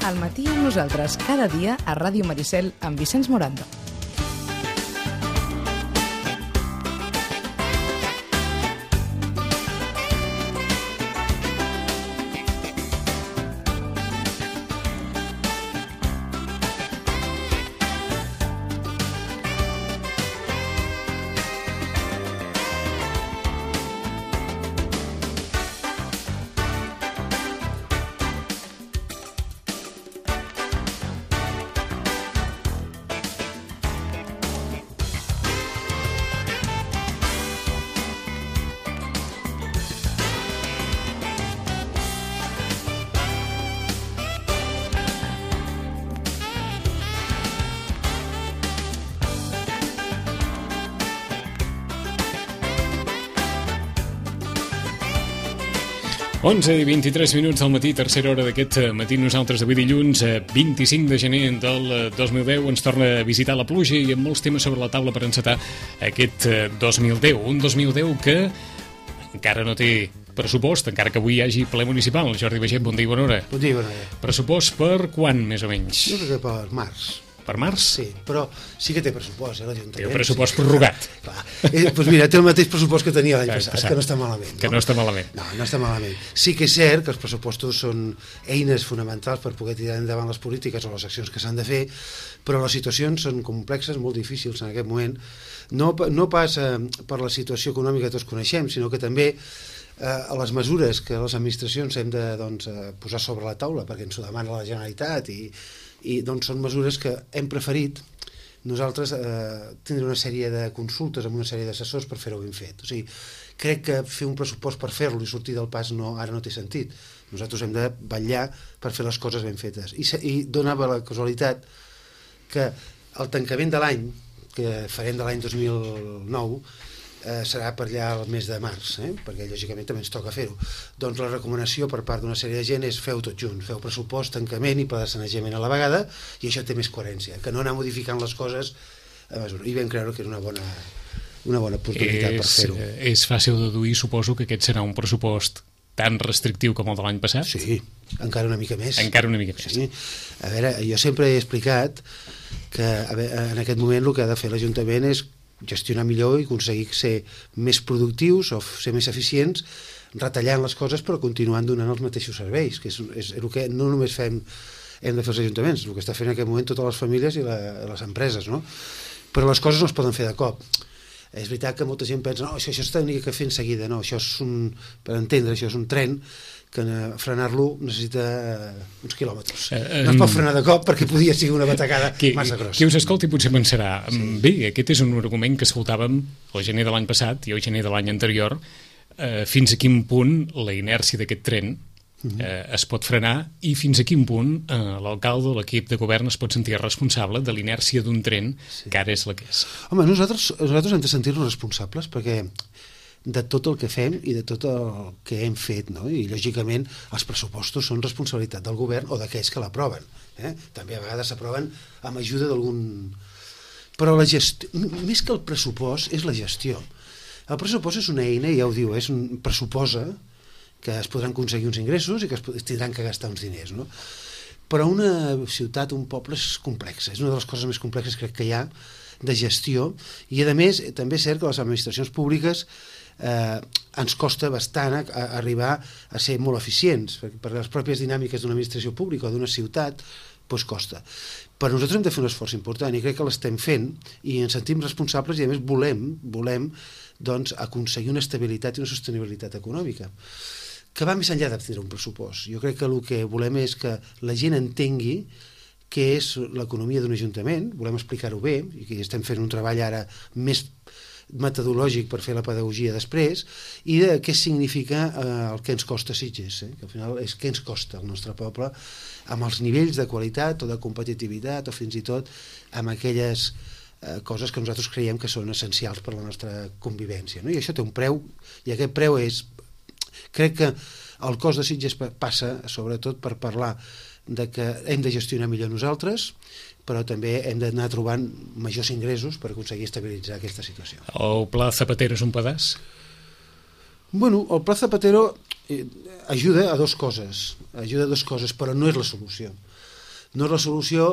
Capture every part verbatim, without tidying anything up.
Al matí amb nosaltres, cada dia a Ràdio Maricel amb Vicenç Morando. onze i vint-i-tres minuts al matí, tercera hora d'aquest matí. Nosaltres avui dilluns, vint-i-cinc de gener del dos mil deu, ens torna a visitar la pluja i amb molts temes sobre la taula per encetar aquest dos mil deu. Un dos mil deu que encara no té pressupost, encara que avui hi hagi ple municipal. Jordi Baget, bon dia i bona hora. Bon dia i bona hora. Pressupost per quan, més o menys? Jo crec que per març. Per març? Sí, però sí que té pressupost, eh, l'Ajuntament. Té un pressupost prorrogat. Clar. Eh, doncs mira, té el mateix pressupost que tenia l'any passat, passat, que no està malament. No? Que no està malament. No, no està malament. Sí que és cert que els pressupostos són eines fonamentals per poder tirar endavant les polítiques o les accions que s'han de fer, però les situacions són complexes, molt difícils en aquest moment. No, no pas eh, per la situació econòmica que tots coneixem, sinó que també eh, a les mesures que les administracions hem de doncs, eh, posar sobre la taula, perquè ens ho demana la Generalitat, i i doncs són mesures que hem preferit nosaltres eh, tindre una sèrie de consultes amb una sèrie d'assessors per fer-ho ben fet. O sigui, crec que fer un pressupost per fer-lo i sortir del pas no, ara no té sentit. Nosaltres hem de vetllar per fer les coses ben fetes. I, i donava la casualitat que el tancament de l'any, que farem de l'any dos mil nou, eh, serà per allà el mes de març, eh? Perquè lògicament també ens toca fer-ho. Doncs la recomanació per part d'una sèrie de gent és feu tot junt, feu pressupost, tancament i pla de sanejament a la vegada, i això té més coherència, que no anar modificant les coses a mesura. I vam creure que era una bona, una bona oportunitat és, per fer-ho. És fàcil deduir, suposo, que aquest serà un pressupost tan restrictiu com el de l'any passat? Sí, encara una mica més. Encara una mica més. Sí. A veure, jo sempre he explicat que a veure, en aquest moment el que ha de fer l'Ajuntament és gestionar millor i aconseguir ser més productius o ser més eficients, retallant les coses però continuant donant els mateixos serveis, que és, és el que no només fem, hem de fer els ajuntaments, el que està fent en aquest moment totes les famílies i la, les empreses, no? Però les coses no es poden fer de cop. És veritat que molta gent pensa, no, això, això s'ha de fer en seguida, no, això és un, per entendre, això és un tren que frenar-lo necessita uns quilòmetres. No es pot frenar de cop perquè podia ser una batacada qui, massa grossa. Qui us escolti potser pensarà, sí. Bé, aquest és un argument que escoltàvem el gener de l'any passat i el gener de l'any anterior, eh, fins a quin punt la inèrcia d'aquest tren eh, es pot frenar i fins a quin punt eh, l'alcalde o l'equip de govern es pot sentir responsable de l'inèrcia d'un tren sí. que ara és la que és. Home, nosaltres, nosaltres hem de sentir-nos responsables perquè de tot el que fem i de tot el que hem fet, no? I lògicament els pressupostos són responsabilitat del govern o d'aquells que l'aproven, eh? També a vegades s'aproven amb ajuda d'algun... Però la gestió, més que el pressupost és la gestió. El pressupost és una eina, ja ho diu, és un pressuposa que es podran aconseguir uns ingressos i que es, es tindran que gastar uns diners, no? Però una ciutat, un poble és complex, és una de les coses més complexes crec que hi ha de gestió, i a més també és cert que les administracions públiques eh, ens costa bastant a, a arribar a ser molt eficients, perquè per les pròpies dinàmiques d'una administració pública o d'una ciutat doncs costa. Però nosaltres hem de fer un esforç important i crec que l'estem fent i ens sentim responsables i a més volem, volem doncs, aconseguir una estabilitat i una sostenibilitat econòmica que va més enllà de tindre un pressupost. Jo crec que el que volem és que la gent entengui què és l'economia d'un ajuntament, volem explicar-ho bé, i que estem fent un treball ara més metodològic per fer la pedagogia després, i de què significa eh, el que ens costa Sitges, eh? Que al final és què ens costa el nostre poble, amb els nivells de qualitat o de competitivitat o fins i tot amb aquelles eh, coses que nosaltres creiem que són essencials per a la nostra convivència, no? I això té un preu, i aquest preu és... Crec que el cost de Sitges passa sobretot per parlar de que hem de gestionar millor nosaltres, però també hem d'anar trobant majors ingressos per aconseguir estabilitzar aquesta situació. El Pla Zapatero és un pedaç? Bueno, el Pla Zapatero ajuda a dues coses, ajuda a dues coses, però no és la solució. No és la solució,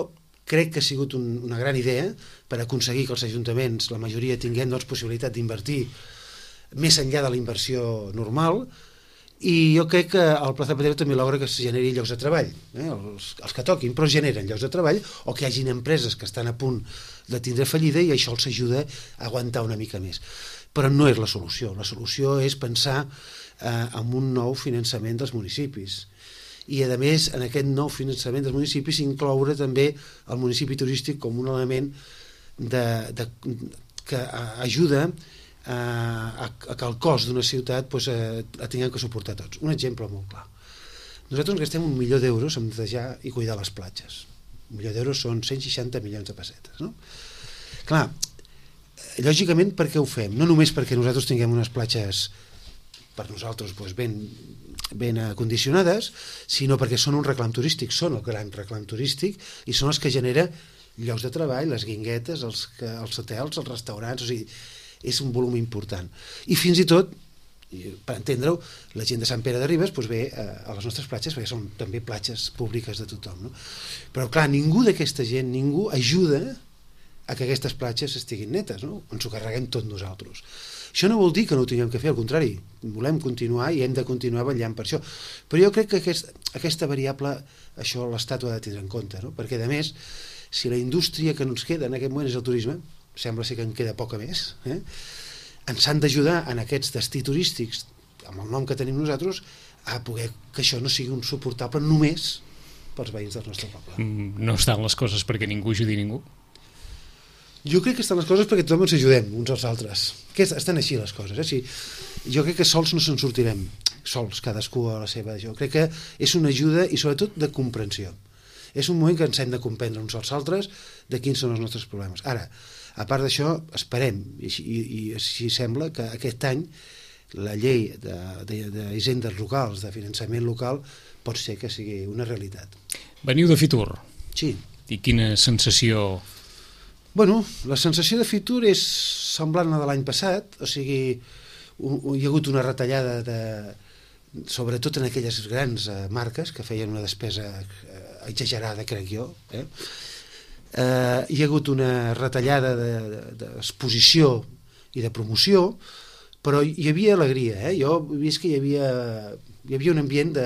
crec que ha sigut un, una gran idea per aconseguir que els ajuntaments, la majoria, tinguem doncs, possibilitat d'invertir més enllà de la inversió normal, i jo crec que el Pla Zapatero també logra que es generi llocs de treball, eh? els, els que toquin, però generen llocs de treball, o que hi hagin empreses que estan a punt de tindre fallida i això els ajuda a aguantar una mica més. Però no és la solució. La solució és pensar eh, en un nou finançament dels municipis. I, a més, en aquest nou finançament dels municipis incloure també el municipi turístic com un element de, de, que ajuda a, a, a que el cost d'una ciutat pues, a, a tinguem que suportar tots. Un exemple molt clar. Nosaltres ens gastem un milió d'euros en netejar i cuidar les platges. Un milió d'euros són cent seixanta milions de pessetes. No? Clar, lògicament, per què ho fem? No només perquè nosaltres tinguem unes platges per nosaltres pues, ben, ben acondicionades, sinó perquè són un reclam turístic, són el gran reclam turístic i són els que genera llocs de treball, les guinguetes, els, els hotels, els restaurants, o sigui, és un volum important. I fins i tot, per entendre-ho, la gent de Sant Pere de Ribes doncs ve a les nostres platges, perquè són també platges públiques de tothom. No? Però clar, ningú d'aquesta gent, ningú ajuda a que aquestes platges estiguin netes, no? Ens ho carreguem tot nosaltres. Això no vol dir que no ho tinguem que fer, al contrari, volem continuar i hem de continuar vetllant per això. Però jo crec que aquest, aquesta variable, això l'Estat ho ha de tindre en compte, no? Perquè, a més, si la indústria que ens queda en aquest moment és el turisme, sembla ser que en queda poca més, eh? ens han d'ajudar en aquests destí turístics, amb el nom que tenim nosaltres, a poder que això no sigui un suportable només pels veïns del nostre poble. No estan les coses perquè ningú ajudi ningú? Jo crec que estan les coses perquè tothom ens ajudem uns als altres. Que estan així les coses. Eh? Sí, jo crec que sols no se'n sortirem, sols, cadascú a la seva. Jo crec que és una ajuda i sobretot de comprensió. És un moment que ens hem de comprendre uns als altres de quins són els nostres problemes. Ara, a part d'això, esperem, i, i, i així sembla, que aquest any la llei d'hisendes locals, de finançament local, pot ser que sigui una realitat. Veniu de Fitur? Sí. I quina sensació? Bueno, la sensació de Fitur és semblant a la de l'any passat, o sigui, hi ha hagut una retallada de, sobretot en aquelles grans eh, marques que feien una despesa eh, exagerada, crec jo, eh? Eh, hi ha hagut una retallada d'exposició i de promoció, però hi havia alegria, eh? Jo he vist que hi havia, hi havia un ambient de,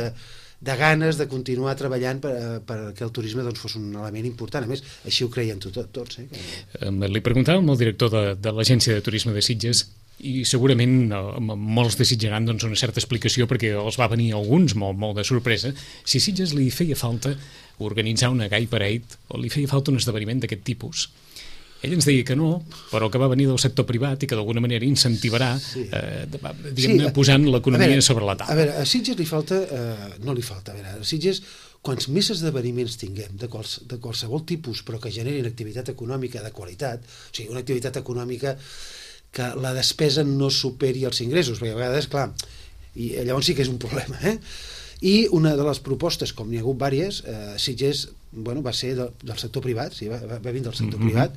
de ganes de continuar treballant per, per que el turisme doncs, fos un element important. A més, així ho creien tot, tots. Eh? Que... Li preguntàvem al director de, de l'Agència de Turisme de Sitges i segurament molts desitjaran doncs, una certa explicació perquè els va venir alguns molt, molt de sorpresa. Si Sitges li feia falta organitzar una Gay Parade o li feia falta un esdeveniment d'aquest tipus, ell ens deia que no, però que va venir del sector privat i que d'alguna manera incentivarà sí. eh, diguem-ne, sí, posant l'economia sobre la taula. A veure, a Sitges li falta, eh, no li falta, a veure, a Sitges, quants més esdeveniments tinguem de, quals, de qualsevol tipus, però que generin activitat econòmica de qualitat, o sigui, una activitat econòmica que la despesa no superi els ingressos, perquè a vegades, clar, i llavors sí que és un problema, eh? I una de les propostes, com n'hi ha hagut diverses, eh, Sitges, bueno, va ser de, del sector privat, sí, va, va vindre del sector mm-hmm. privat,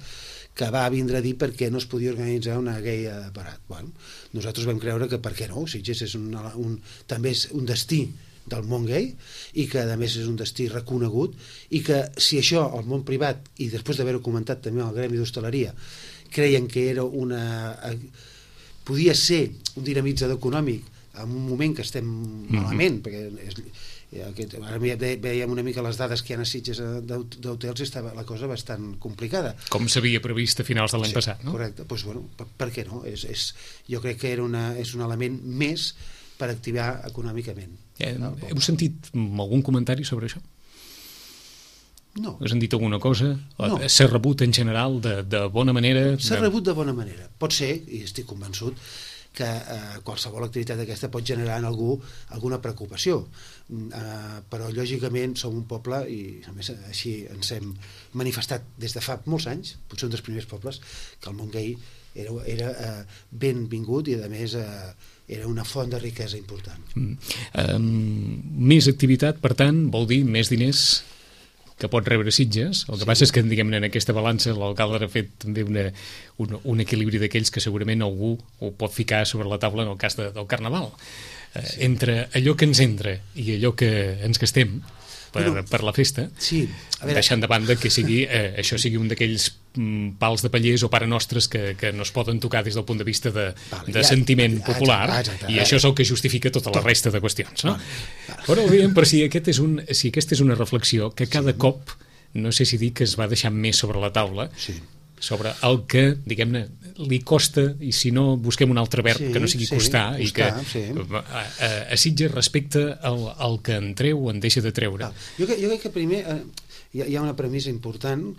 que va vindre a dir per què no es podia organitzar una gay parade. Bueno, nosaltres vam creure que per què no, Sitges és un, un, també és un destí del món gay i que a més és un destí reconegut i que si això el món privat, i després d'haver-ho comentat també al gremi d'hostaleria, creien que era una... podia ser un dinamitzador econòmic en un moment que estem malament, mm-hmm. perquè és, aquest, ara veiem una mica les dades que hi ha a Sitges d'hotels i estava la cosa bastant complicada. Com s'havia previst a finals de l'any sí, passat, no? Correcte, doncs, bueno, per, per què no? És, és, jo crec que era una, és un element més per activar econòmicament. Eh, heu sentit algun comentari sobre això? No. Heu sentit alguna cosa? No. S'ha rebut en general de, de bona manera? S'ha de... rebut de bona manera. Pot ser, i estic convençut, que eh, qualsevol activitat d'aquesta pot generar en algú alguna preocupació. Eh, però, lògicament, som un poble, i a més així ens hem manifestat des de fa molts anys, potser un dels primers pobles, que el món gay era, era eh, benvingut i, a més, eh, era una font de riquesa important. Mm. Um, més activitat, per tant, vol dir més diners que pot rebre Sitges. El que sí. passa és que, diguem-ne, en aquesta balança l'alcalde ha fet també una, un, un equilibri d'aquells que segurament algú ho pot ficar sobre la taula en el cas de, del Carnaval. Sí. Eh, entre allò que ens entra i allò que ens gastem, per, bueno, per la festa, sí, a veure, deixant de banda que sigui, eh, això sigui un d'aquells mm, pals de pallers o pare nostres que, que no es poden tocar des del punt de vista de, vale, de ja, sentiment ja, popular, exacte, exacte, i això és el que justifica tota tot. La resta de qüestions, no? Vale, vale. Però bé, per si, aquest és un, si aquesta és una reflexió que cada sí. cop, no sé si dir que es va deixar més sobre la taula, sí. sobre el que, diguem-ne, li costa, i si no busquem un altre verb sí, que no sigui sí, costar, i que sí. a, a, a Sitges respecte al, al que en treu o en deixa de treure. Jo, jo crec que primer eh, hi, ha, hi ha una premissa important,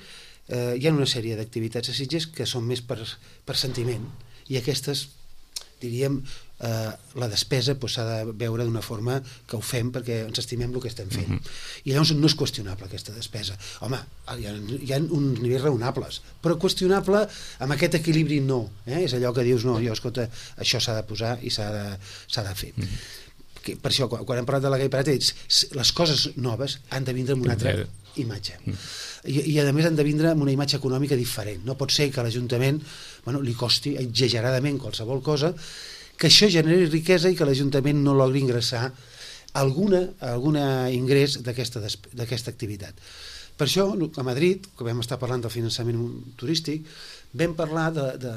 eh, hi ha una sèrie d'activitats a Sitges que són més per, per sentiment, i aquestes, diríem, eh, la despesa pues, s'ha de veure d'una forma que ho fem perquè ens estimem el que estem fent. Mm-hmm. I llavors no és qüestionable aquesta despesa. Home, hi ha, hi ha uns nivells raonables, però qüestionable amb aquest equilibri no. Eh? És allò que dius, no, jo, escolta, això s'ha de posar i s'ha de, s'ha de fer. Mm-hmm. Que, per això, quan, quan hem parlat de la Gai Parat, les coses noves han de vindre amb una altra imatge. Mm. I, i a més han de vindre amb una imatge econòmica diferent. No pot ser que a l'Ajuntament bueno, li costi exageradament qualsevol cosa, que això generi riquesa i que l'Ajuntament no logri ingressar alguna, alguna ingrés d'aquesta d'aquesta activitat. Per això, a Madrid, que vam estar parlant del finançament turístic, vam parlar, de, de,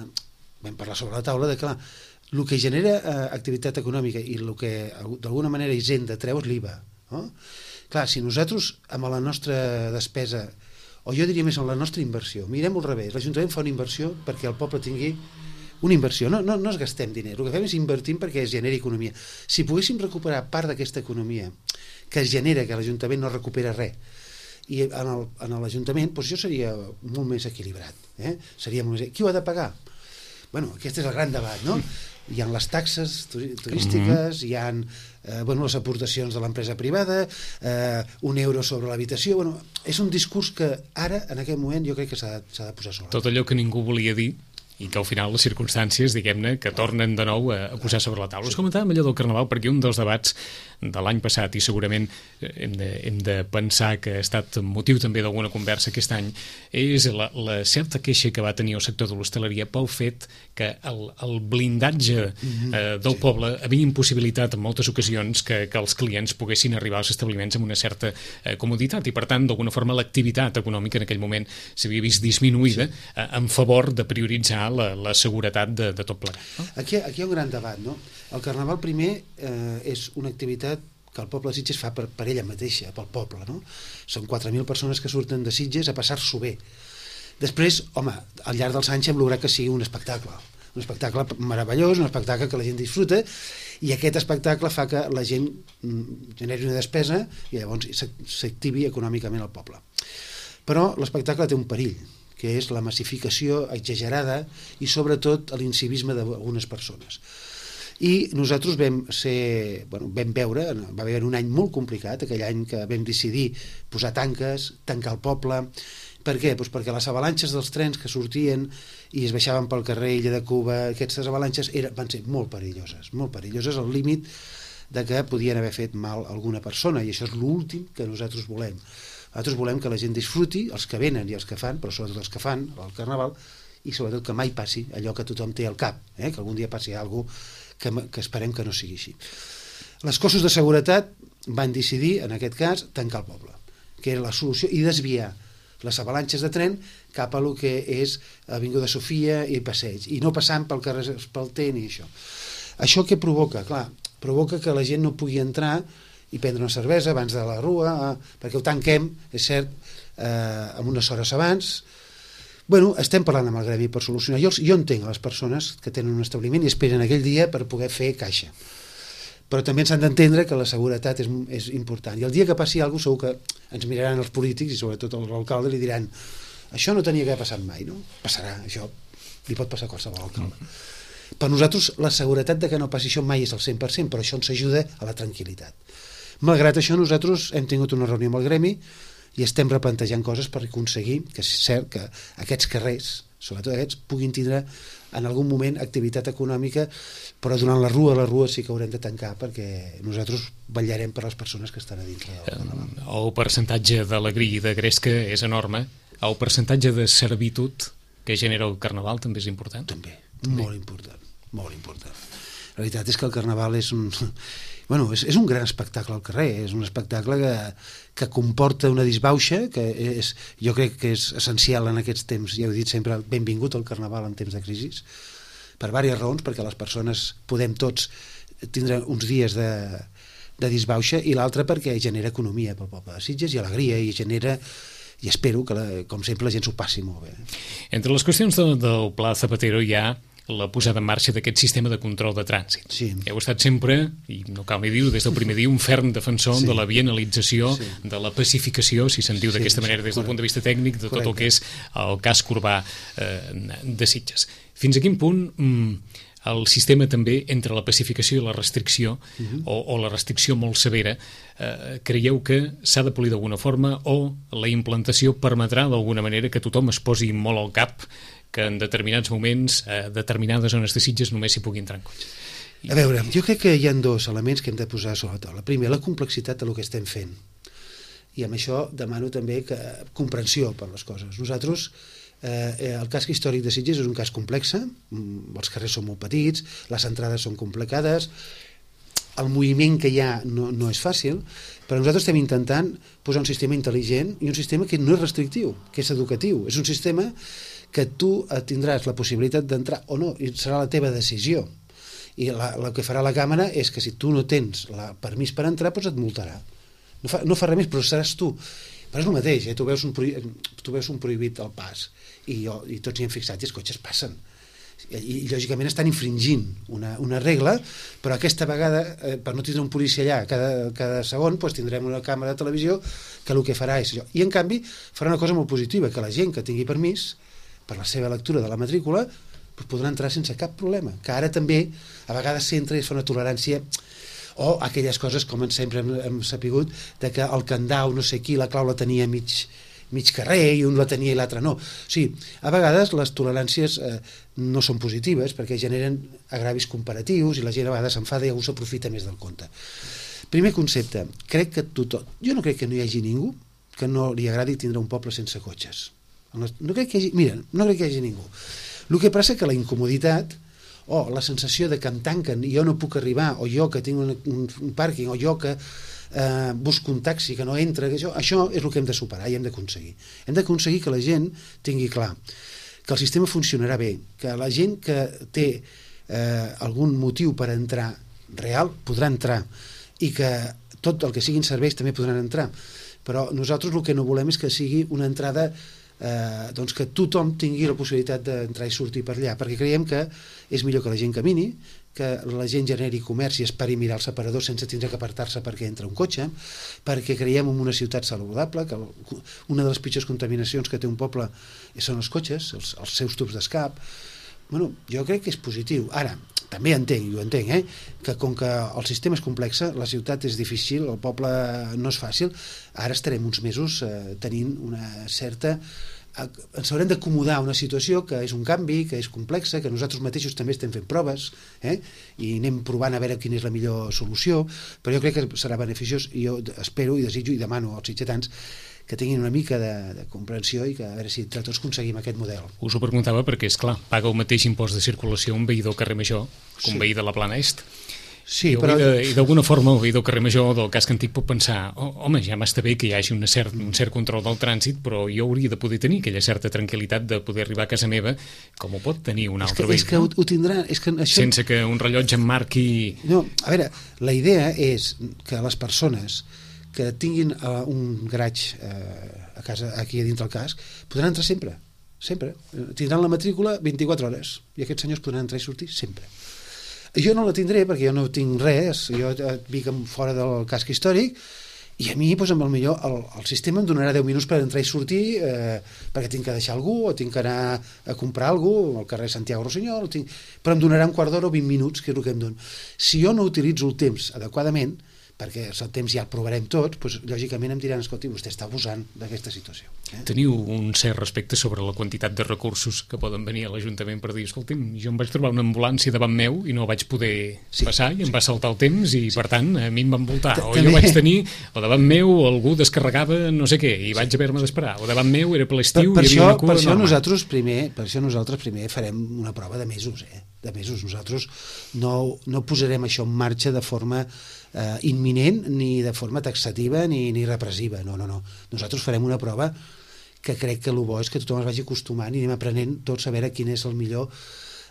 vam parlar sobre la taula de que, clar, el que genera eh, activitat econòmica i el que d'alguna manera Hisenda treu és l'I V A. No? Clar, si nosaltres, amb la nostra despesa, o jo diria més amb la nostra inversió, mirem al revés, l'Ajuntament fa una inversió perquè el poble tingui una inversió, no, no, no es gastem diner, el que fem és invertir perquè es generi economia. Si poguéssim recuperar part d'aquesta economia que es genera, que l'Ajuntament no recupera res, i en l'Ajuntament, doncs això seria molt més equilibrat. Eh? Seria molt més... Qui ho ha de pagar? Bueno, aquest és el gran debat, no? Hi ha les taxes turístiques, mm-hmm. hi ha eh, bueno, les aportacions de l'empresa privada, eh, un euro sobre l'habitació... Bueno, és un discurs que ara, en aquest moment, jo crec que s'ha de, de posar sobre. Tot allò que ningú volia dir i que al final les circumstàncies, diguem-ne, que tornen de nou a, a posar sobre la taula. Us comentàvem allò del Carnaval perquè un dels debats de l'any passat, i segurament hem de, hem de pensar que ha estat motiu també d'alguna conversa aquest any, és la, la certa queixa que va tenir el sector de l'hostaleria pel fet que el, el blindatge eh, del sí. poble havia impossibilitat en moltes ocasions que, que els clients poguessin arribar als establiments amb una certa eh, comoditat, i per tant, d'alguna forma, l'activitat econòmica en aquell moment s'havia vist disminuïda sí. eh, en favor de prioritzar La, la seguretat de, de tot plegat. No? Aquí, aquí hi ha un gran debat, no? El Carnaval primer eh, és una activitat que el poble de Sitges fa per, per ella mateixa, pel poble, no? Són quatre mil persones que surten de Sitges a passar-s'ho bé. Després, home, al llarg dels anys hem lograt que sigui un espectacle, un espectacle meravellós, un espectacle que la gent disfruta, i aquest espectacle fa que la gent mm, generi una despesa i llavors s'activi econòmicament al poble. Però l'espectacle té un perill, que és la massificació exagerada i sobretot l'incivisme d'algunes persones. I nosaltres vam ser, bueno, vam veure, va haver un any molt complicat, aquell any que vam decidir posar tanques, tancar el poble. Per què? Pues perquè les avalanxes dels trens que sortien i es baixaven pel carrer Illa de Cuba, aquestes avalanxes eren, van ser molt perilloses, molt perilloses, al límit de que podien haver fet mal a alguna persona, i això és l'últim que nosaltres volem. Nosaltres volem que la gent disfruti, els que venen i els que fan, però sobretot els que fan el Carnaval, i sobretot que mai passi allò que tothom té al cap, eh? Que algun dia passi alguna cosa que, que esperem que no sigui així. Les cossos de seguretat van decidir, en aquest cas, tancar el poble, que era la solució, i desviar les avalanxes de tren cap a lo que és Avinguda Sofia i Passeig, i no passant pel carrer Espalter ni això. Això què provoca? Clar, provoca que la gent no pugui entrar i prendre una cervesa abans de la rua, eh, perquè ho tanquem, és cert, eh, amb unes hores abans. Bueno, estem parlant amb el gremi per solucionar. Jo, jo entenc les persones que tenen un establiment i esperen aquell dia per poder fer caixa. Però també s'han d'entendre que la seguretat és, és important. I el dia que passi alguna cosa segur que ens miraran els polítics i sobretot l'alcalde li diran això no tenia que haver passat mai, no? Passarà, això li pot passar a qualsevol alcalde. Mm. Per nosaltres la seguretat de que no passi això mai és al cent per cent, però això ens ajuda a la tranquil·litat. Malgrat això, nosaltres hem tingut una reunió amb el gremi i estem replantejant coses per aconseguir que és cert que aquests carrers, sobretot aquests, puguin tindre en algun moment activitat econòmica, però durant la rua, la rua sí que haurem de tancar perquè nosaltres vetllarem per les persones que estan a dintre del Carnaval. El percentatge d'alegria i de gresca és enorme. El percentatge de servitud que genera el Carnaval també és important? També, també. molt important, molt important. La veritat és que el Carnaval és un... Bueno, és, és un gran espectacle al carrer, és un espectacle que, que comporta una disbauxa, que és, jo crec que és essencial en aquests temps, ja ho he dit sempre, benvingut al Carnaval en temps de crisi, per diverses raons, perquè les persones podem tots tindre uns dies de, de disbauxa, i l'altra perquè genera economia pel poble de Sitges i alegria, i genera, i espero que, la, com sempre, la gent s'ho passi molt bé. Entre les qüestions de, del Pla Zapatero hi ha la posada en marxa d'aquest sistema de control de trànsit. Sí. Heu estat sempre, i no cal ni dir-ho, des del primer dia, un ferm defensor sí. de la bienalització, sí. de la pacificació, si se'n diu sí, d'aquesta manera, des del punt de vista tècnic, de tot Correcte. El que és el casc urbà eh, de Sitges. Fins a quin punt mm, el sistema també, entre la pacificació i la restricció, uh-huh. o, o la restricció molt severa, eh, creieu que s'ha de polir d'alguna forma, o la implantació permetrà d'alguna manera que tothom es posi molt al cap que en determinats moments, a determinades zones de Sitges, només s'hi pugui entrar en cotxe? A veure, jo crec que hi ha dos elements que hem de posar sobre la taula. Primer, la complexitat del que estem fent. I amb això demano també que, comprensió per les coses. Nosaltres, eh, el casc històric de Sitges és un casc complex, els carrers són molt petits, les entrades són complicades, el moviment que hi ha no, no és fàcil, però nosaltres estem intentant posar un sistema intel·ligent i un sistema que no és restrictiu, que és educatiu. És un sistema que tu tindràs la possibilitat d'entrar o no, i serà la teva decisió. I la, el que farà la càmera és que si tu no tens el permís per entrar, doncs et multarà. No fa, no fa res més, però seràs tu. Però és el mateix, eh? tu, veus un prohibit, tu veus un prohibit al pas, i, jo, i tots hi hem fixat i els cotxes passen. I, i lògicament estan infringint una, una regla, però aquesta vegada, eh, per no tindre un policia allà cada, cada segon, doncs tindrem una càmera de televisió que el que farà és això. I en canvi farà una cosa molt positiva, que la gent que tingui permís per la seva lectura de la matrícula, doncs podrà entrar sense cap problema. Que ara també, a vegades s'entra i es fa una tolerància, o aquelles coses, com sempre hem, hem sapigut, de que el candau, no sé qui, la clau la tenia mig, mig carrer, i un la tenia i l'altre no. O sigui, a vegades les toleràncies eh, no són positives, perquè generen agravis comparatius, i la gent a vegades s'enfada i algú s'aprofita més del compte. Primer concepte, crec que tothom, jo no crec que no hi hagi ningú que no li agradi tindre un poble sense cotxes. No crec que hi hagi, mira, no crec que hi hagi ningú. El que passa que la incomoditat o la sensació de que em tanquen i jo no puc arribar, o jo que tinc un, un, un pàrquing, o jo que eh, busco un taxi que no entra, que això, això és el que hem de superar i hem d'aconseguir. Hem d'aconseguir que la gent tingui clar que el sistema funcionarà bé, que la gent que té eh, algun motiu per entrar real podrà entrar, i que tot el que siguin serveis també podran entrar. Però nosaltres el que no volem és que sigui una entrada Eh, doncs que tothom tingui la possibilitat d'entrar i sortir per allà, perquè creiem que és millor que la gent camini, que la gent generi comerç i esperi mirar el separador sense tindre que apartar-se perquè entra un cotxe, perquè creiem en una ciutat saludable, que una de les pitjors contaminacions que té un poble són els cotxes, els, els seus tubs d'escap. Bueno, jo crec que és positiu. Ara, també entenc, jo entenc, eh, que com que el sistema és complex, la ciutat és difícil, el poble no és fàcil, ara estarem uns mesos eh, tenint una certa... ens haurem d'acomodar a una situació que és un canvi, que és complexa, que nosaltres mateixos també estem fent proves, eh, i anem provant a veure quina és la millor solució, però jo crec que serà beneficiós, i jo espero i desitjo i demano als sitgetans que tinguin una mica de, de comprensió i que a veure si entre tots aconseguim aquest model. Us ho preguntava perquè, és clar, paga el mateix impost de circulació un veí del carrer Major que un sí. veí de la Plana Est. Sí, I, però... I d'alguna forma el veí del carrer Major del casc antic pot pensar, oh, home, ja m'està bé que hi hagi una cert, un cert control del trànsit, però jo hauria de poder tenir aquella certa tranquil·litat de poder arribar a casa meva com ho pot tenir un altre veí. És que ho, ho tindrà... És que això... Sense que un rellotge em marqui... No, a veure, la idea és que les persones que tinguin uh, un garatge uh, a casa, aquí a dintre del casc, podran entrar sempre, sempre. Tindran la matrícula vint-i-quatre hores i aquests senyors podran entrar i sortir sempre. Jo no la tindré perquè jo no tinc res, jo vic fora del casc històric, i a mi, doncs, amb el millor, el, el sistema em donarà deu minuts per entrar i sortir, eh, perquè tinc que deixar algú, o tinc que anar a comprar algú al carrer Santiago Rossinyol, tinc... però em donarà un quart d'hora o vint minuts, que és el que em dona. Si jo no utilitzo el temps adequadament, perquè el temps ja el provarem tots, doncs, lògicament em diran, escolti, vostè està abusant d'aquesta situació. Eh? Teniu un cert respecte sobre la quantitat de recursos que poden venir a l'Ajuntament per dir, escolti'm, jo em vaig trobar una ambulància davant meu i no vaig poder sí, passar i em sí. va saltar el temps i, sí. per tant, a mi em van voltar. O jo vaig tenir, o davant meu algú descarregava no sé què i vaig haver-me d'esperar. O davant meu era per l'estiu i hi havia una cua per això enorme. nosaltres primer, per això nosaltres primer farem una prova de mesos, eh? de mesos. Nosaltres no, no posarem això en marxa de forma eh, imminent, ni de forma taxativa, ni, ni repressiva. No, no, no. Nosaltres farem una prova que crec que el bo és que tothom es vagi acostumant i anem aprenent tots a veure quin és el millor,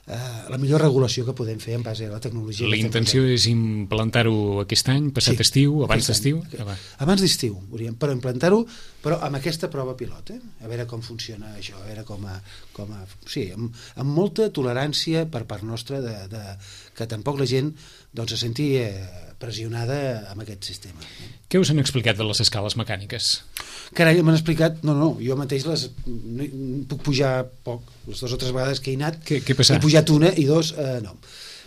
eh, la millor regulació que podem fer en base a la tecnologia. La intenció és implantar-ho aquest any, passat sí, estiu, abans d'estiu? Abans d'estiu, però implantar-ho, però amb aquesta prova pilot, eh? A veure com funciona això, a veure com a... Com a sí, amb, amb molta tolerància per part nostra de, de, que tampoc la gent doncs, se senti eh, pressionada amb aquest sistema. Què us han explicat de les escales mecàniques? Carai, m'han explicat... No, no, jo mateix les no, puc pujar poc, les dues o tres vegades que he anat. Què, què passa? He pujat una i dos, eh, no.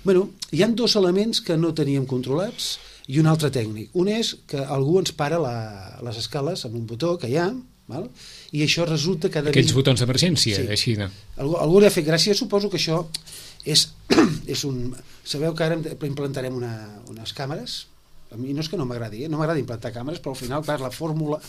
Bueno, hi ha dos elements que no teníem controlats i un altre tècnic. Un és que algú ens para la, les escales amb un botó que hi ha, val? I això resulta que... Aquells botons d'emergència, sí. Així, no? Algú, algú li ha fet gràcia, suposo que això és, és un... Sabeu que ara implantarem una, unes càmeres? A mi no és que no m'agradi, eh? No m'agrada implantar càmeres, però al final per la fórmula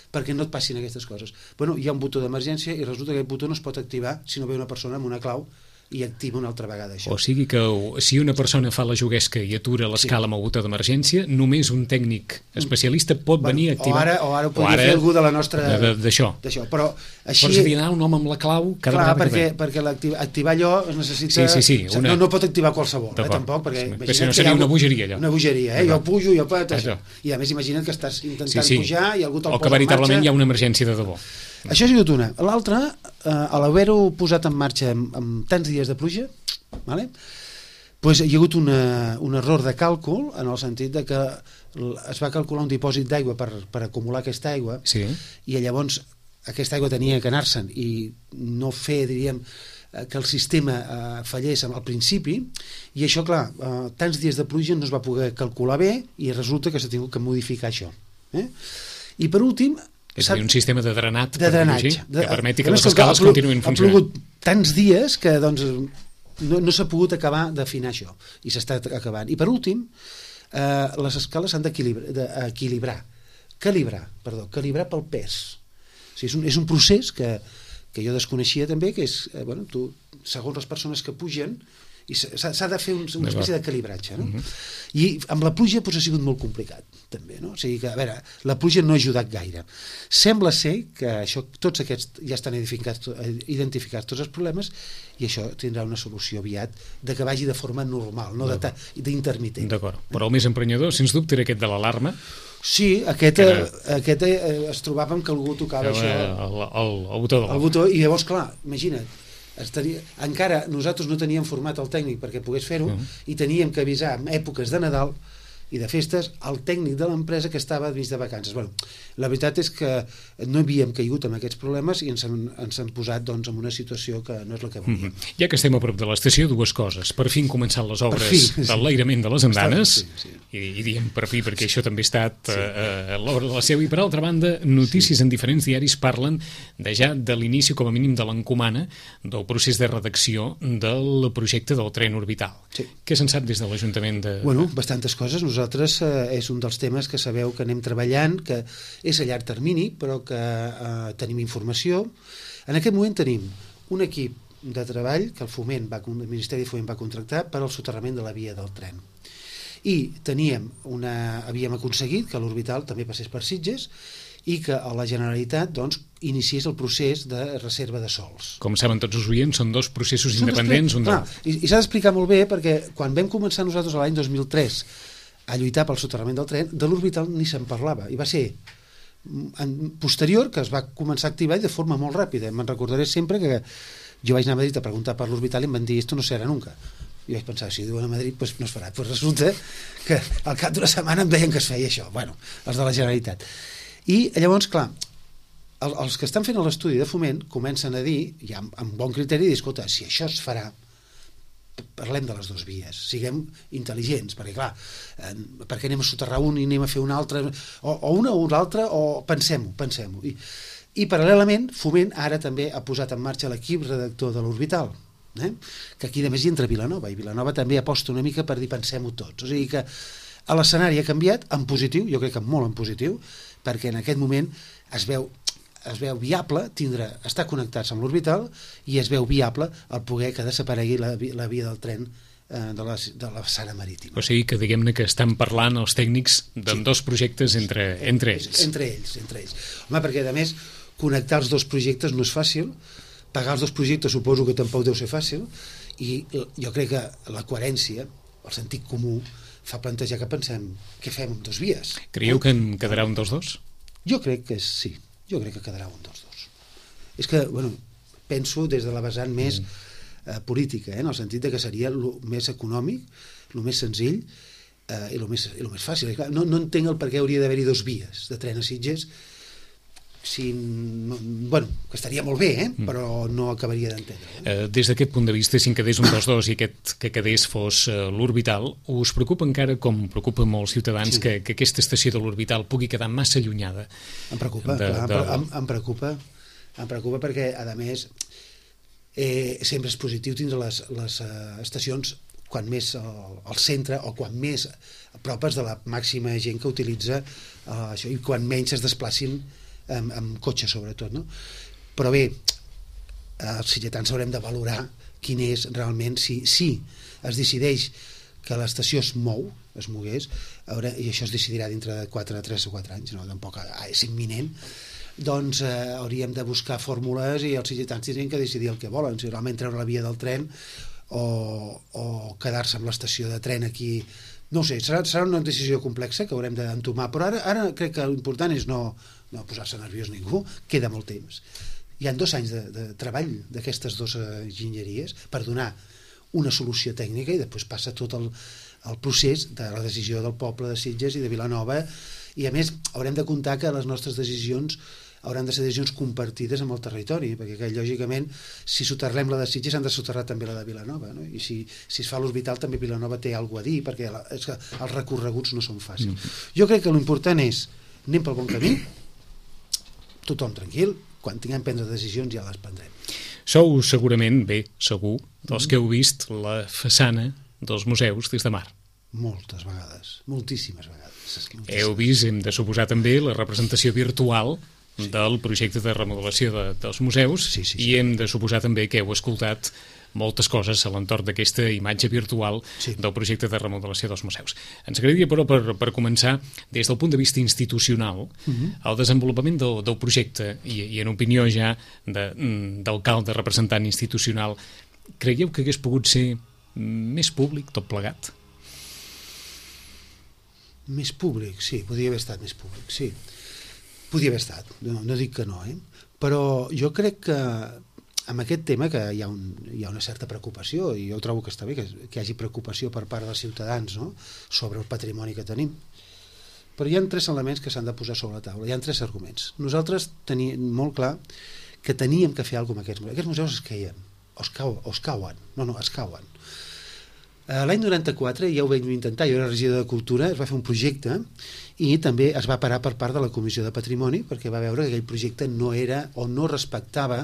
perquè no et passin aquestes coses. Bueno, hi ha un botó d'emergència i resulta que aquest botó no es pot activar si no ve una persona amb una clau i activa una altra vegada això. O sigui que si una persona fa la juguesca i atura l'escala sí. amb el botó d'emergència, només un tècnic especialista pot bueno, venir a activar... O ara, o ara ho podria o ara, fer algú de la nostra... D'això. Però així... Pots dir, un home amb la clau... Cada clar, perquè, perquè activar, activar allò es necessita... Sí, sí, sí. Una... No, no pot activar qualsevol, eh, tampoc, perquè... Perquè si no seria una bogeria, allò. Una bogeria, eh? Jo pujo, jo pot... I a més imagina't que estàs intentant sí, sí. pujar i algú te'l posa en marxa... O que veritablement hi ha una emergència de debò. Això ha sigut una. L'altra, eh, a l'haver-ho posat en marxa amb, amb tants dies de pluja, vale? Pues hi ha hagut una, un error de càlcul en el sentit de que es va calcular un dipòsit d'aigua per, per acumular aquesta aigua sí. i llavors aquesta aigua tenia que anar-se'n i no fer, diríem, que el sistema eh, fallés al principi i això, clar, eh, tants dies de pluja no es va poder calcular bé i resulta que s'ha tingut que modificar això. Eh? I per últim... És a dir, un sistema de drenat de drenatge, que permeti que les escales continuïn funcionant. Ha plogut tants dies que doncs, no, no s'ha pogut acabar d'afinar això i s'està acabant. I per últim, eh, les escales s'han d'equilibrar, calibrar, perdó, calibrar pel pes. O sigui, és, un, és un procés que, que jo desconeixia també, que és, eh, bueno, tu, segons les persones que pugen, i s'ha de fer un, una espècie de calibratge, no? Uh-huh. I amb la pluja doncs, ha sigut molt complicat també, no? O sigui que, a veure, la pluja no ha ajudat gaire. Sembla ser que això, tots aquests ja estan identificats, identificats tots els problemes i això tindrà una solució aviat de que vagi de forma normal, no d'intermitent. D'acord, però el més emprenyador, sens dubte, era aquest de l'alarma. Sí, aquest, era... aquest eh, es trobava amb que algú tocava el, això el, el, el botó de el botó, i llavors, clar, imagina't, estaria, encara nosaltres no teníem format el tècnic perquè pogués fer-ho uh-huh. i teníem que avisar en èpoques de Nadal i de festes al tècnic de l'empresa que estava mig de vacances. Bueno, la veritat és que no havíem caigut amb aquests problemes i ens han, ens han posat doncs, en una situació que no és la que volíem. Mm-hmm. Ja que estem a prop de l'estació, dues coses. Per fi han començat les obres fi, sí. d'enlairament de les andanes, sí, sí. I, i diem per fi perquè sí. això també ha estat sí. uh, l'obra de la seu. I per altra banda, notícies sí. en diferents diaris parlen de ja de l'inici, com a mínim, de l'encomana del procés de redacció del projecte del tren orbital. Sí. Què se'n sap des de l'Ajuntament de... Bueno, bastantes coses. Nosaltres eh, és un dels temes que sabeu que anem treballant, que és a llarg termini, però que eh, tenim informació. En aquest moment tenim un equip de treball que el Foment va, el Ministeri de Foment va contractar per al soterrament de la via del tren. I teníem una, havíem aconseguit que l'orbital també passés per Sitges i que a la Generalitat doncs, iniciés el procés de reserva de sòls. Com saben tots els oients, són dos processos són independents. Dos, un clar, I i s'ha d'explicar molt bé perquè quan vam començar nosaltres l'any dos mil tres a lluitar pel soterrament del tren, de l'orbital ni se'n parlava. I va ser en posterior que es va començar a activar i de forma molt ràpida. Me'n recordaré sempre que jo vaig anar a Madrid a preguntar per l'orbital i em van dir esto no serà nunca. I vaig pensar, si diuen a Madrid, pues no es farà. Pues resulta que al cap d'una setmana em deien que es feia això. Bueno, els de la Generalitat. I llavors, clar, el, els que estan fent l'estudi de Foment comencen a dir, ja amb, amb bon criteri, dir, escolta, si això es farà, parlem de les dues vies, siguem intel·ligents, perquè clar, eh, perquè anem a soterrar un i anem a fer un altre, o, o una o l'altra, o pensem-ho, pensem-ho. I, I paral·lelament, Foment ara també ha posat en marxa l'equip redactor de l'orbital, eh? que aquí a més hi entra Vilanova, i Vilanova també aposta una mica per dir pensem-ho tots. O sigui que l'escenari ha canviat en positiu, jo crec que molt en positiu, perquè en aquest moment es veu es veu viable tindre, estar connectats amb l'orbital i es veu viable el poder que desaparegui la, la via del tren eh, de, la, de la façana marítima. O sigui que diguem-ne que estan parlant els tècnics d'en sí. dos projectes entre, entre ells. Entre ells, entre ells. Home, perquè a més connectar els dos projectes no és fàcil, pagar els dos projectes suposo que tampoc deu ser fàcil, i jo crec que la coherència, el sentit comú, fa plantejar que pensem què fem amb dos vies. Creieu que en quedarà un dels dos? Jo crec que sí, jo crec que quedarà un dels dos. És que, bueno, penso des de la vessant més mm. eh, política, eh, en el sentit de que seria el més econòmic, el més senzill eh, i el més, i el més fàcil. Clar, no, no entenc el per què hauria d'haver-hi dos vies de tren a Sitges, si, bueno, que estaria molt bé, eh? mm. però no acabaria d'entendre. Eh? Eh, des d'aquest punt de vista, si en quedés un dels dos i aquest que quedés fos eh, l'orbital, us preocupa encara, com preocupa molts ciutadans, sí. que, que aquesta estació de l'orbital pugui quedar massa allunyada? Em preocupa, de, clar, de... Em, em preocupa, em preocupa perquè, a més, eh, sempre és positiu tindre les, les uh, estacions quan més al, al centre o quan més a propes de la màxima gent que utilitza uh, això, i quan menys es desplacin amb, amb cotxe sobretot, no? Però bé, els sitgetans haurem de valorar quin és realment, si, si es decideix que l'estació es mou, es mogués, haurà, i això es decidirà dintre de quatre, tres o quatre anys, no? Tampoc és imminent, doncs eh, hauríem de buscar fórmules i els sitgetans tindrien que decidir el que volen, si realment treure la via del tren o, o quedar-se amb l'estació de tren aquí. No ho sé, serà, serà una decisió complexa que haurem d'entomar, però ara, ara crec que l'important és no, no posar-se nerviós ningú, queda molt temps. Hi ha dos anys de, de treball d'aquestes dues enginyeries per donar una solució tècnica i després passa tot el, el procés de la decisió del poble de Sitges i de Vilanova, i a més haurem de comptar que les nostres decisions hauran de ser decisions compartides amb el territori, perquè que, lògicament si soterrem la de Sitges han de soterrar també la de Vilanova, no? I si, si es fa l'orbital també Vilanova té alguna a dir, perquè la, és que els recorreguts no són fàcils. Mm. Jo crec que l'important és anem pel bon camí, tothom tranquil, quan tinguem prendre decisions ja les prendrem. Sou segurament, bé, segur, dels que heu vist la façana dels museus des de mar. Moltes vegades, moltíssimes vegades. Moltíssimes. Heu vist, hem de suposar també, la representació virtual sí. del projecte de remodelació de, dels museus, sí, sí, sí. i hem de suposar també que heu escoltat moltes coses a l'entorn d'aquesta imatge virtual sí. del projecte de remodelació dels museus. Ens agradaria, però, per, per començar, des del punt de vista institucional, uh-huh. el desenvolupament del, del projecte, i, i en opinió ja d'alcalde, representant institucional, creieu que hagués pogut ser més públic, tot plegat? Més públic, sí, podria haver estat més públic, sí. Podria haver estat, no, no dic que no, eh? Però jo crec que amb aquest tema que hi ha, un, hi ha una certa preocupació, i jo trobo que està bé que, que hi hagi preocupació per part dels ciutadans, no?, sobre el patrimoni que tenim. Però hi ha tres elements que s'han de posar sobre la taula, hi ha tres arguments. Nosaltres teníem molt clar que teníem que fer alguna cosa amb aquests museus. Aquests museus es queien, o es, cau, o es cauen, no, no, es cauen. L'any noranta-quatre ja ho vam intentar, jo era regidor de Cultura, es va fer un projecte i també es va parar per part de la Comissió de Patrimoni perquè va veure que aquell projecte no era o no respectava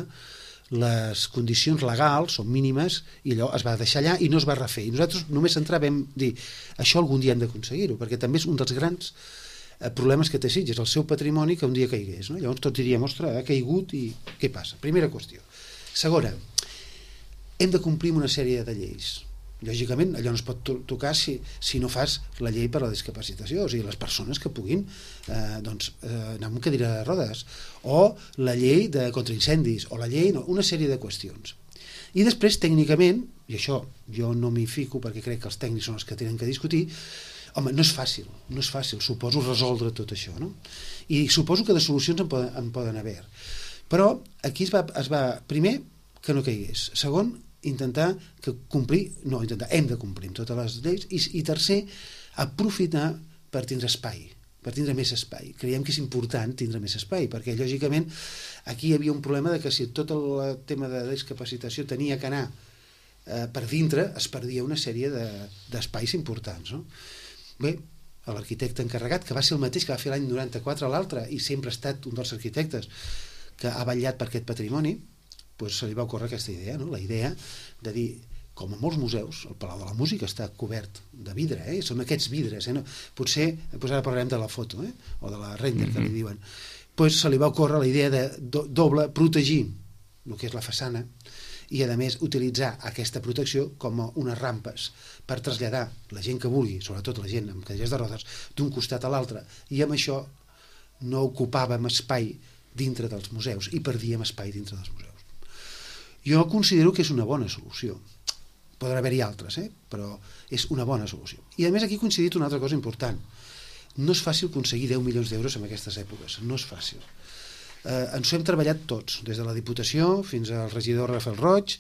les condicions legals o mínimes i allò es va deixar allà i no es va refer. I nosaltres només centràvem dir això algun dia hem d'aconseguir-ho, perquè també és un dels grans problemes que té Sitges, el seu patrimoni que un dia caigués, no? Llavors tots diríem, ostres, ha caigut i què passa? Primera qüestió. Segona, hem de complir una sèrie de lleis. Lògicament, allò no es pot to tocar si, si no fas la llei per a la discapacitació, o sigui, les persones que puguin eh, doncs, eh, anar amb cadira de rodes, o la llei de contraincendis, o la llei, no, una sèrie de qüestions. I després, tècnicament, i això jo no m'hi fico perquè crec que els tècnics són els que tenen que discutir, home, no és fàcil, no és fàcil, suposo resoldre tot això, no? I suposo que de solucions en poden, en poden haver. Però aquí es va, es va, primer, que no caigués. Segon, intentar que complir, no, intentar, hem de complir amb totes les lleis, i, i tercer, aprofitar per tindre espai, per tindre més espai. Creiem que és important tindre més espai, perquè lògicament aquí hi havia un problema de que si tot el tema de discapacitació tenia que anar eh, per dintre, es perdia una sèrie d'espais de, importants, no? Bé, l'arquitecte encarregat, que va ser el mateix que va fer l'any noranta-quatre a l'altre, i sempre ha estat un dels arquitectes que ha vetllat per aquest patrimoni, doncs se li va ocórrer aquesta idea, no? La idea de dir, com a molts museus, el Palau de la Música està cobert de vidre, eh? Són aquests vidres, eh? No, potser, doncs ara parlarem de la foto, eh? O de la render, que li diuen, pues, se li va ocórrer la idea de do, doble protegir el que és la façana i, a més, utilitzar aquesta protecció com a unes rampes per traslladar la gent que vulgui, sobretot la gent amb cadires de rodes, d'un costat a l'altre, i amb això no ocupàvem espai dintre dels museus i perdíem espai dintre dels museus. Jo considero que és una bona solució. Podrà haver-hi altres, eh? Però és una bona solució. I, a més, aquí he coincidit una altra cosa important. No és fàcil aconseguir deu milions d'euros en aquestes èpoques, no és fàcil. Eh, ens ho hem treballat tots, des de la Diputació fins al regidor Rafael Roig,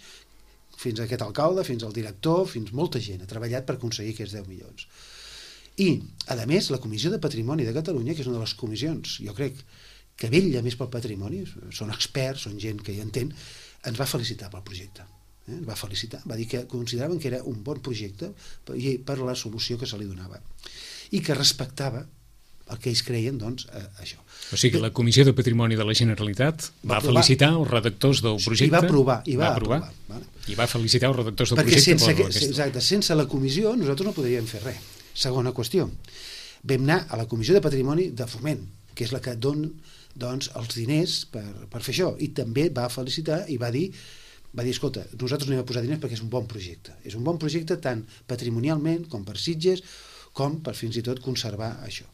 fins a aquest alcalde, fins al director, fins molta gent ha treballat per aconseguir aquests deu milions. I, a més, la Comissió de Patrimoni de Catalunya, que és una de les comissions, jo crec, que vetlla més pel patrimoni, són experts, són gent que hi entén, ens va felicitar pel projecte. Eh? Ens va felicitar, va dir que consideraven que era un bon projecte per la solució que se li donava i que respectava el que ells creien, doncs, a, a això. O sigui que la Comissió de Patrimoni de la Generalitat va, va felicitar els redactors del projecte. I va aprovar. I va, va aprovar. aprovar vale? I va felicitar els redactors del Perquè projecte. Perquè sense, exacte, sense la comissió nosaltres no podríem fer res. Segona qüestió. Vam anar a la Comissió de Patrimoni de Foment, que és la que dona, doncs, els diners per, per fer això. I també va felicitar i va dir, va dir, escolta, nosaltres no hi vam posar diners perquè és un bon projecte. És un bon projecte tant patrimonialment com per Sitges, com per fins i tot conservar això.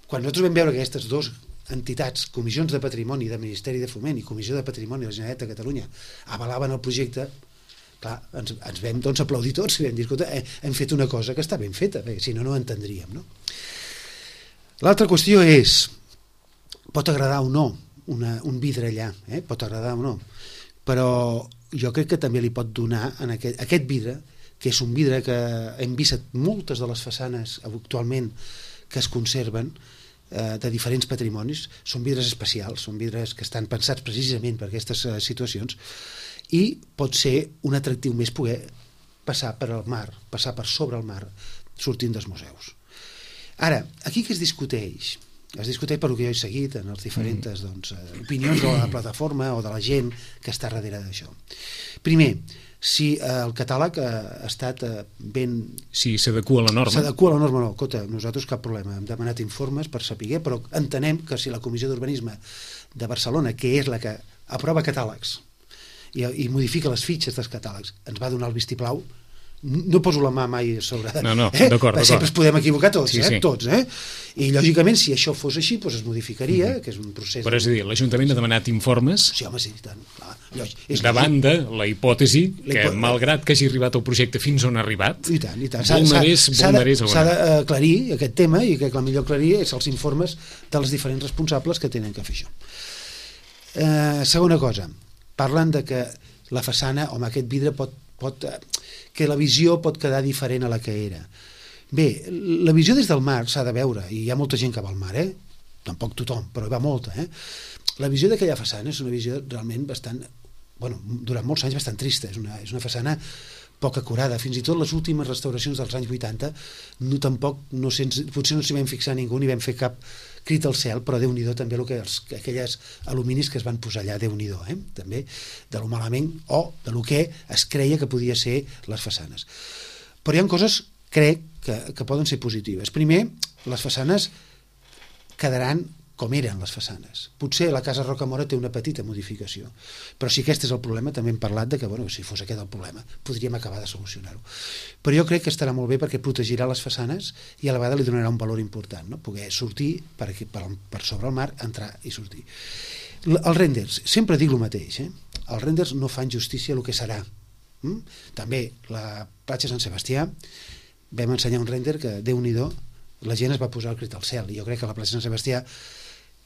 Quan nosaltres vam veure que aquestes dues entitats, Comissions de Patrimoni del Ministeri de Foment i Comissió de Patrimoni de la Generalitat de Catalunya, avalaven el projecte, clar, ens, ens vam doncs, aplaudir tots i vam dir, escolta, hem fet una cosa que està ben feta, perquè si no, no ho entendríem. No? L'altra qüestió és, pot agradar o no una, un vidre allà, eh? Pot agradar o no, però jo crec que també li pot donar en aquest, aquest vidre, que és un vidre que hem vist moltes de les façanes actualment que es conserven eh, de diferents patrimonis, són vidres especials, són vidres que estan pensats precisament per aquestes eh, situacions, i pot ser un atractiu més poder passar per al mar, passar per sobre el mar, sortint dels museus. Ara, aquí què es discuteix? Es discuteix per el que jo he seguit en les diferents doncs, opinions de la plataforma o de la gent que està darrere d'això. Primer, si el catàleg ha estat ben... Si s'adequa a la norma. S'adequa a la norma, no. Escolta, nosaltres cap problema. Hem demanat informes per saber, però entenem que si la Comissió d'Urbanisme de Barcelona, que és la que aprova catàlegs i, i modifica les fitxes dels catàlegs, ens va donar el vistiplau, no poso la mà mai sobre... No, no, eh? d'acord, d'acord. Sempre es podem equivocar tots, sí, eh? Sí. Tots, eh? I lògicament, si això fos així, doncs es modificaria, mm-hmm. que és un procés... Però és a dir, l'Ajuntament ha demanat informes sí, home, sí, tant. Clar, és davant de la hipòtesi la que, hipò... malgrat que hagi arribat el projecte fins on ha arribat, i tant, i tant. S'ha d'aclarir aquest tema, i que el millor aclarir és els informes dels diferents responsables que tenen que fer això. Eh, segona cosa, parlen de que la façana, home, aquest vidre pot, pot que la visió pot quedar diferent a la que era. Bé, la visió des del mar s'ha de veure, i hi ha molta gent que va al mar, eh? Tampoc tothom, però hi va molta, eh? La visió d'aquella façana és una visió realment bastant, bueno, durant molts anys bastant trista, és una, és una façana poc acurada, fins i tot les últimes restauracions dels anys vuitanta no, tampoc, no sens, potser no s'hi vam fixar ningú ni vam fer cap crit al cel, però Déu-n'hi-do també el que els, aquelles aluminis que es van posar allà, Déu-n'hi-do, eh? També de lo malament o de lo que es creia que podia ser les façanes. Però hi ha coses, crec, que, que poden ser positives. Primer, les façanes quedaran com eren les façanes. Potser la Casa Rocamora té una petita modificació, però si aquest és el problema, també hem parlat de que, bueno, si fos aquest el problema, podríem acabar de solucionar-ho. Però jo crec que estarà molt bé perquè protegirà les façanes i a la vegada li donarà un valor important, no? Poder sortir per, aquí, per, per sobre el mar, entrar i sortir. Els renders, sempre dic el mateix, eh? Els renders no fan justícia al que serà. Mm? També la platja Sant Sebastià vam ensenyar un render que, Déu-n'hi-do, la gent es va posar el crit al cel, i jo crec que la platja Sant Sebastià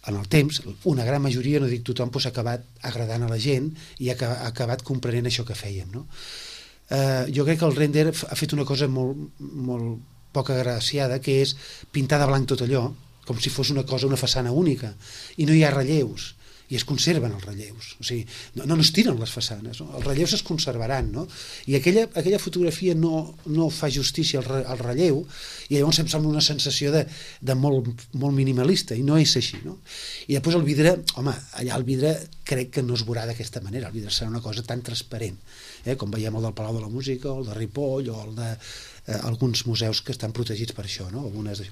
en el temps, una gran majoria, no dic tothom, doncs ha acabat agradant a la gent i ha acabat comprenent això que fèiem, no? Eh, jo crec que el render ha fet una cosa molt, molt poc agraciada, que és pintar de blanc tot allò, com si fos una cosa, una façana única, i no hi ha relleus, i es conserven els relleus, o sigui, no, no es tiren les façanes, no? Els relleus es conservaran, no? I aquella, aquella fotografia no, no fa justícia al, re, al relleu, i llavors em sembla una sensació de, de molt, molt minimalista, i no és així, no? I després el vidre, home, allà el vidre crec que no es veurà d'aquesta manera, el vidre serà una cosa tan transparent, eh? Com veiem el del Palau de la Música, o el de Ripoll, o el de eh, alguns museus que estan protegits per això, no? Algunes...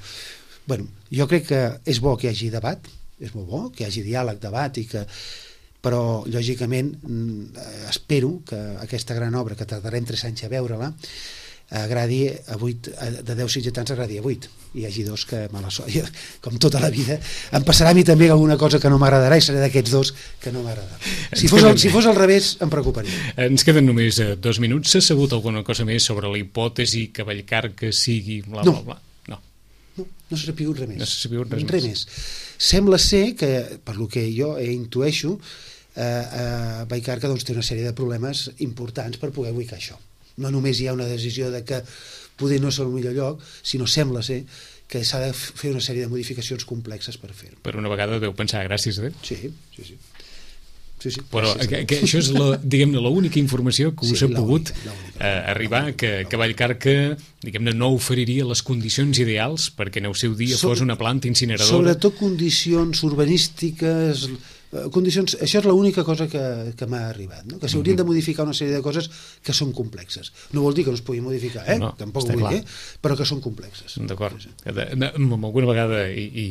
Bueno, jo crec que és bo que hi hagi debat, és molt bo que hi hagi diàleg, debat, i que... però, lògicament, espero que aquesta gran obra, que tardarem tres anys a veure-la, agradi a vuit, de deu sitgetans agradi a vuit, i hi hagi dos que mala sort, com tota la vida em passarà a mi també alguna cosa que no m'agradarà i seré d'aquests dos que no m'agradarà. Si fos, el, si fos al revés em preocuparia. Ens queden només dos minuts. S'ha sabut alguna cosa més sobre la hipòtesi que Vallcarca que sigui bla bla bla? No. No, no s'ha sapigut res més. No s'ha sapigut res, res més. Sembla ser que, per lo que jo intueixo, eh, eh, Vallcarca doncs, té una sèrie de problemes importants per poder ubicar això. No només hi ha una decisió de que poder no és el millor lloc, sinó sembla ser que s'ha de fer una sèrie de modificacions complexes per fer-ho. Per una vegada deu pensar, gràcies a Déu. Sí, sí, sí. Sí, sí, però que, que això és la, diguem-ne, l'única informació que us sí, ha pogut eh, arribar, que, que Vallcarca, diguem-ne, no oferiria les condicions ideals perquè en el seu dia so, fos una planta incineradora. Sobretot condicions urbanístiques, condicions, això és l'única cosa que, que m'ha arribat, no? Que s'haurien de modificar una sèrie de coses que són complexes. No vol dir que no es puguin modificar, eh? No, tampoc vull dir, però que són complexes. D'acord. Sí, sí. Alguna vegada, i, i,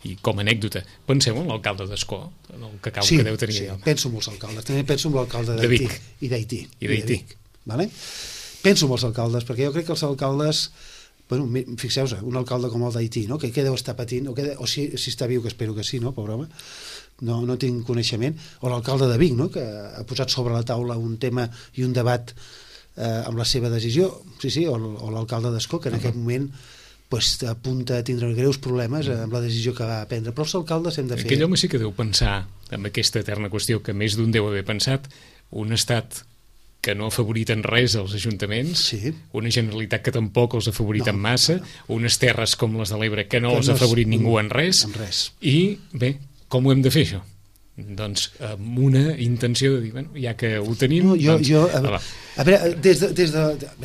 i com a anècdota, penseu en l'alcalde d'Ascó, en el cacau sí, que deu tenir sí, allà. Penso en molts alcaldes, també penso en l'alcalde d'Haití i d'Haití. I d'Haití. Vale? Penso en els alcaldes, perquè jo crec que els alcaldes, bueno, fixeu-vos, un alcalde com el d'Haití, no? que, que deu estar patint, o, que, o si, si està viu, que espero que sí, no, pobre home, no, no tinc coneixement, o l'alcalde de Vic, no? que ha posat sobre la taula un tema i un debat eh, amb la seva decisió, sí, sí, o, o l'alcalde d'Ascó, que en uh -huh. aquest moment pues, apunta a tindre greus problemes amb la decisió que va prendre, però els alcaldes hem de fer... Aquell home sí que deu pensar en aquesta eterna qüestió que més d'un deu haver pensat, un estat que no ha favorit en res els ajuntaments, sí. una Generalitat que tampoc els ha favorit no, en massa, no, no. unes terres com les de l'Ebre que no que els no ha favorit és, ningú en res, en res, i bé, com ho hem de fer això? Doncs amb una intenció de dir, bueno, ja que ho tenim... No, jo, doncs, jo, a, a veure, des d'una de, des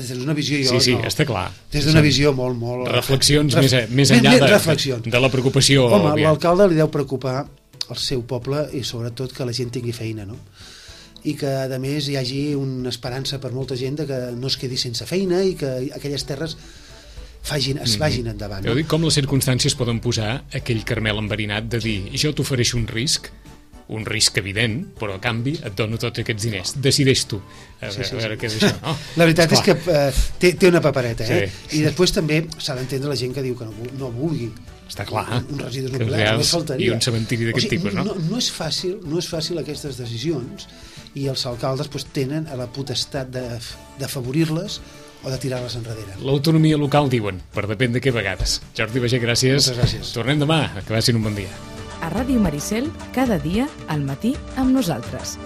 de, des visió... Jo, sí, sí, no, està clar. Des d'una visió molt, molt... Reflexions ref, més, més enllà més, de, de, de la preocupació... Home, l'alcalde li deu preocupar el seu poble i sobretot que la gent tingui feina, no? I que, a més, hi hagi una esperança per molta gent de que no es quedi sense feina i que aquelles terres Fagin, es vagin endavant. No? Jo dic com les circumstàncies poden posar aquell Carmel enverinat de dir, jo t'ofereixo un risc, un risc evident, però a canvi et dono tots aquests diners. Decideix tu. A veure, sí, sí, a veure sí. què és això. No? La veritat Esclar. és que eh, té, té una papereta, eh? Sí. I després també s'ha d'entendre la gent que diu que no, no vulgui. Està clar. Un, un residus nuclears, només faltaria. I un cementiri d'aquest o sigui, tipus, no? no? No és fàcil, no és fàcil aquestes decisions i els alcaldes pues, tenen a la potestat d'afavorir-les o de tirar-les enrere. L'autonomia local, diuen, per depèn de què vegades. Jordi Baiget, gràcies. Moltes gràcies. Tornem demà, que vagin un bon dia. A Ràdio Maricel, cada dia, al matí, amb nosaltres.